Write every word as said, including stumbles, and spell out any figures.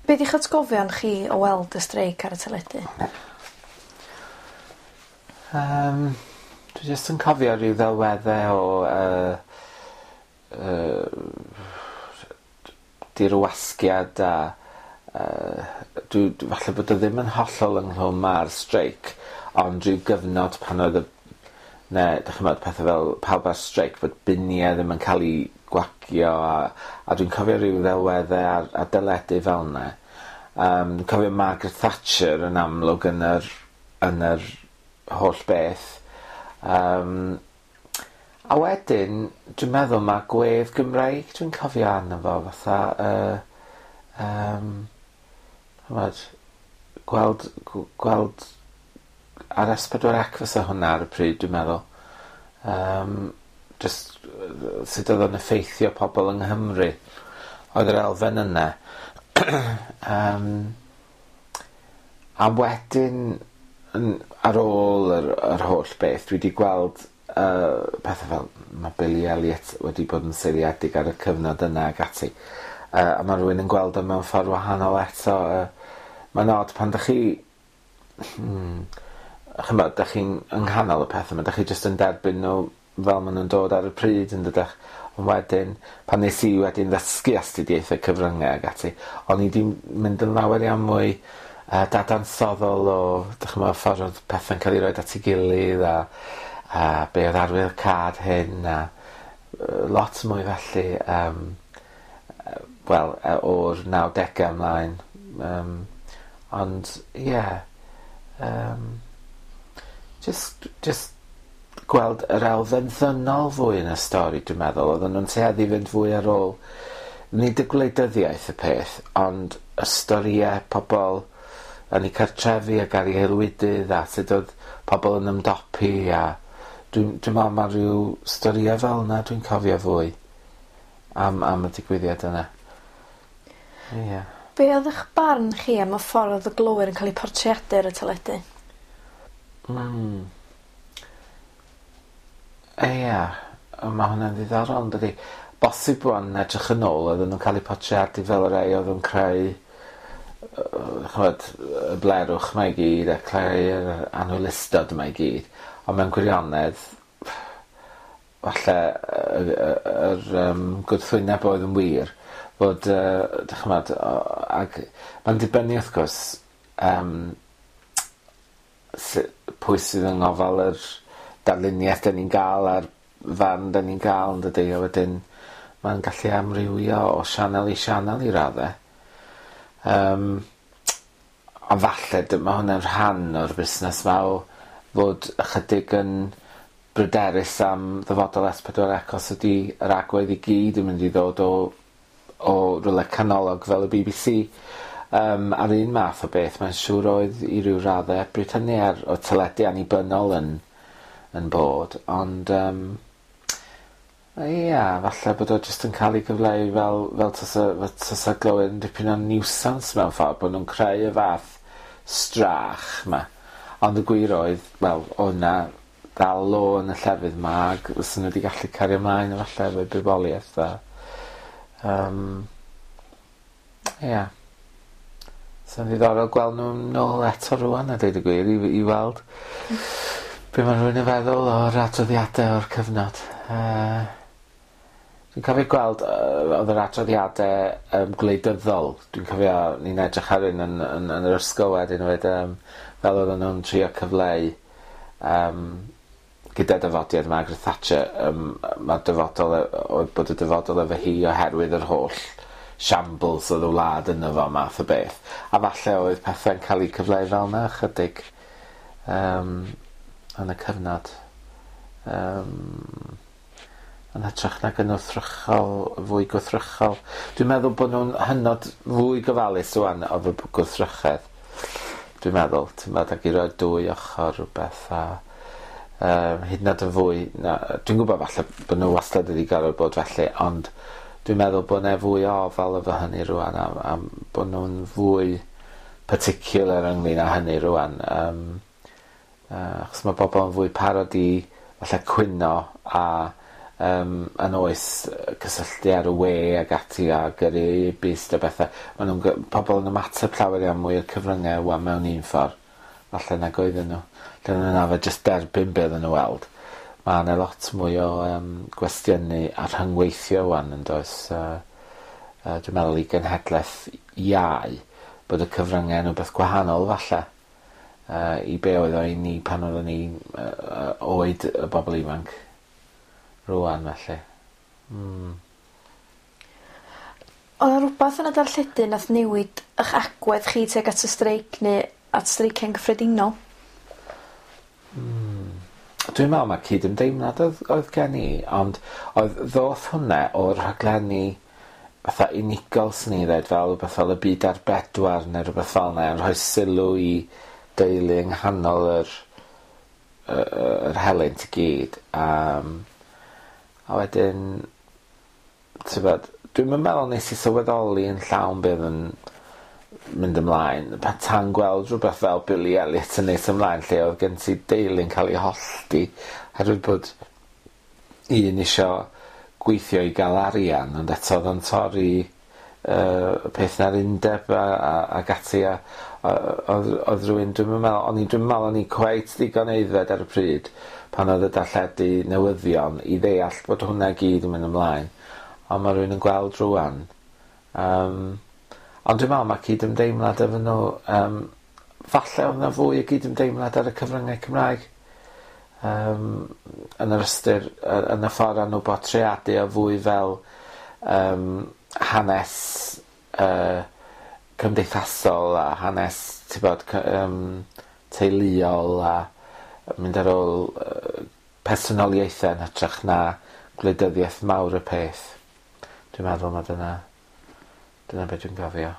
Be 'di'ch atgofion chi o weld y streic ar y teledu? Yym dwi jyst yn cofio ryw ddelwedde o yy yy dirwasgiad a yy dwi dwi falle bod o ddim yn hollol ynghlwm â'r streic ond rhyw gyfnod pan oedd y ne' dych ch'mod pethe fel pawb ar streic fod binie ddim yn ca'l 'u gwagio a a dwi'n cofio ryw ddelwedde ar ar deledu fel 'ne. Yym dwi'n cofio Margaret Thatcher yn amlwg yn yr yn yr holl beth. Yym a wedyn dwi'n meddwl ma' gwedd Gymreig dwi'n cofio arno fo fatha yy yym ch'mod gweld gw- gweld ar Es Pedwar Ec fysa hwnna ar y pryd dwi'n meddwl. Yym jyst yy sut odd o'n effeithio pobol yng Nghymru. Oedd yr elfen yne. Yym a wedyn yn ar ôl yr yr holl beth dwi 'di gweld yy pethe fel ma' Billy Elliot wedi bod yn seiliedig ar y cyfnod yna ag ati. Yy a ma' rywun yn gweld o mewn ffordd wahanol eto yy ma'n od pan dych chi hmm ch'mod dych chi'n yng nghanol y pethe 'ma dych chi jyst yn derbyn nhw fel ma' nw'n dod ar y pryd yndydach? Ond wedyn pan nes i wedyn ddysgu astudiaethau cyfryngau ag ati o'n i 'di mynd yn lawer iawn mwy yy dadansoddol o dych ch'mo' ffordd odd pethe'n ca'l 'u roid at 'i gilydd a a be' odd arwyddocâd hyn a yy lot mwy felly yym yy wel yy o'r nawdege ymlaen yym ond ie yym jyst jyst gweld yr elfen ddynol fwy yn y stori dwi'n meddwl oedden nhw'n tueddu i fynd fwy ar ôl nid y gwleidyddiaeth y peth ond y storïe pobol yn eu cartrefi ac ar eu haelwydydd a sut oedd pobol yn ymdopi a dwi'n dwi'n me'wl ma' ryw storïe fel yna dwi'n cofio fwy am am y digwyddiad yna. Ie. Be' oedd 'ych barn chi am y ffordd oedd y glowyr yn cael eu portreadu ar y teledu? Hmm. Ia, ma' hwnna'n ddiddorol yndydi? Bosib rŵan edrych yn ôl oedden nhw'n cael eu portreadu fel y rei oedd yn creu yy ch'mod y blerwch 'ma i gyd a creu'r anhwylustod yma i gyd ond mewn gwirionedd falle yy yy yr yym gwrthwyneb oedd yn wir fod yy dych ch'mod o- ag ma'n dibynnu wrth gwrs yym su- pwy sydd yng ngofal yr darluniaeth 'dyn ni'n ga'l a'r farn 'dyn ni'n ga'l yndydi a wedyn ma'n gallu amrywio o sianel i sianel i radde. Yym a falle dy- ma' hwnna'n rhan o'r busnes 'ma o fod ychydig yn bryderus am ddyfodol Es Pedwar Ec os ydi yr agwedd i gyd yn mynd i ddod o o rywle canolog fel y Bee Bee See. Yym a'r un math o beth mae'n siŵr oedd i ryw radde bryd hynny ar o teledu annibynnol yn yn bod ond yym ia falle bod o jyst yn ca'l 'i gyfleu fel fel tasa fel tasa glywed yn dipyn o niwsans mewn ffordd bo' nw'n creu y fath strach 'ma. Ond y gwir oedd wel o' 'na dal lo yn y llefydd 'ma ag fysen nw 'di gallu cario mlaen efalla efo'i bywoliaeth a yym ia. Sa'n ddiddorol gweld nw nôl eto rŵan a deud y gwir i i weld be' ma' rhywun yn feddwl o'r adroddiade o'r cyfnod. Yy dwi'n cofio gweld yy odd yr adroddiade yym gwleidyddol dwi'n cofio ni'n edrych ar un yn yn yn yr ysgol wedyn hefyd yym fel oedden nw'n trio cyfleu yym gyda dyfodiad Margaret Thatcher yym ma'r dyfodol yy oedd bod y dyfodol efo hi oherwydd yr holl shambles oedd y wlad yno fo math o beth. A falle oedd pethe'n ca'l 'u cyfleu fel 'na ychydig yym yn y cyfnod. Yym yn hytrach nag yn wrthrychol fwy gwrthrychol. Dwi'n meddwl bod nhw'n hynod fwy gofalus rŵan o fy- gwrthrychedd. Dwi'n meddwl, t'mod ag i roi dwy ochr rhywbeth a yym hyd yn oed yn fwy na dwi'n gwbod falle bo' nw wastad wedi gorfod bod felly ond dwi'n meddwl bo' 'ne fwy o ofal efo hynny rŵan am am bo' nw'n fwy particular ynglyn â hynny rŵan yym yy achos ma' bobol yn fwy parod i falle cwyno a um, yn oes cysylltu ar y we ag ati a gyrru e-byst a bethau. Maen nhw'n, pobl yn ymateb llawer iawn mwy i'r cyfryngau wan mewn un ffordd falle nag oedden nhw. Lle oedden nhw'n arfer jyst derbyn be oedden nhw weld. Mae yna lot mwy o um, gwestiynu a rhyngweithio wan yn does. Uh, uh, dwi'n meddwl i genhedlaeth iau bod y cyfryngau yn rhywbeth gwahanol falle uh, i be oedd o i ni pan oedden ni uh, oed y bobl ifanc rwan felly. Mm. Oedd 'na rwbath yn y darlledu nath newid 'ych agwedd chi tuag at y streic neu at streiciau'n gyffredinol? Mm. Dwi'n meddwl mae cydymdeimlad oedd, oedd gen i, ond oedd ddoth hwnna o'r rhaglenni fatha unigol sy'n ni ddweud, fel rhywbeth fel Y Byd ar Bedwar neu rhywbeth fel yna, yn rhoi sylw i deulu yng nghanol yr, yr, yr helynt i gyd. Um, a wedyn, tybod, dwi'n meddwl nes i sylweddoli yn llawn beth yn mynd ymlaen, pan tan gweld rhywbeth fel Billy Elliot yn nes ymlaen, lle oedd gen ti deulu'n cael ei hollti oherwydd bod un isio gweithio i gael arian, ond eto oedd o'n torri uh, peth na'r undeb a, a, ac ati, a, a oedd, oedd rhywun, dwi'n meddwl, o'n i, dwi'n meddwl o'n i cweit ddigon aeddfed ar y pryd pan oedd y darlledu newyddion i ddeall bod hwnna gyd yn mynd ymlaen, ond mae rhywun yn gweld rwan. Um, ond dwi'n meddwl mae cydymdeimlad efo nhw, um, falle oedd yna fwy o gydymdeimlad ar y cyfryngau Cymraeg, um, yn yr ystyr, yn y ffordd nhw bortreadu o fwy fel um, hanes uh, cymdeithasol a hanes, ti'n bod, um, teuluol a mynd ar ôl uh, personoliaethau yn hytrach na gwleidyddiaeth mawr y peth. Dwi'n meddwl mae dyna, dyna beth dwi'n gofio.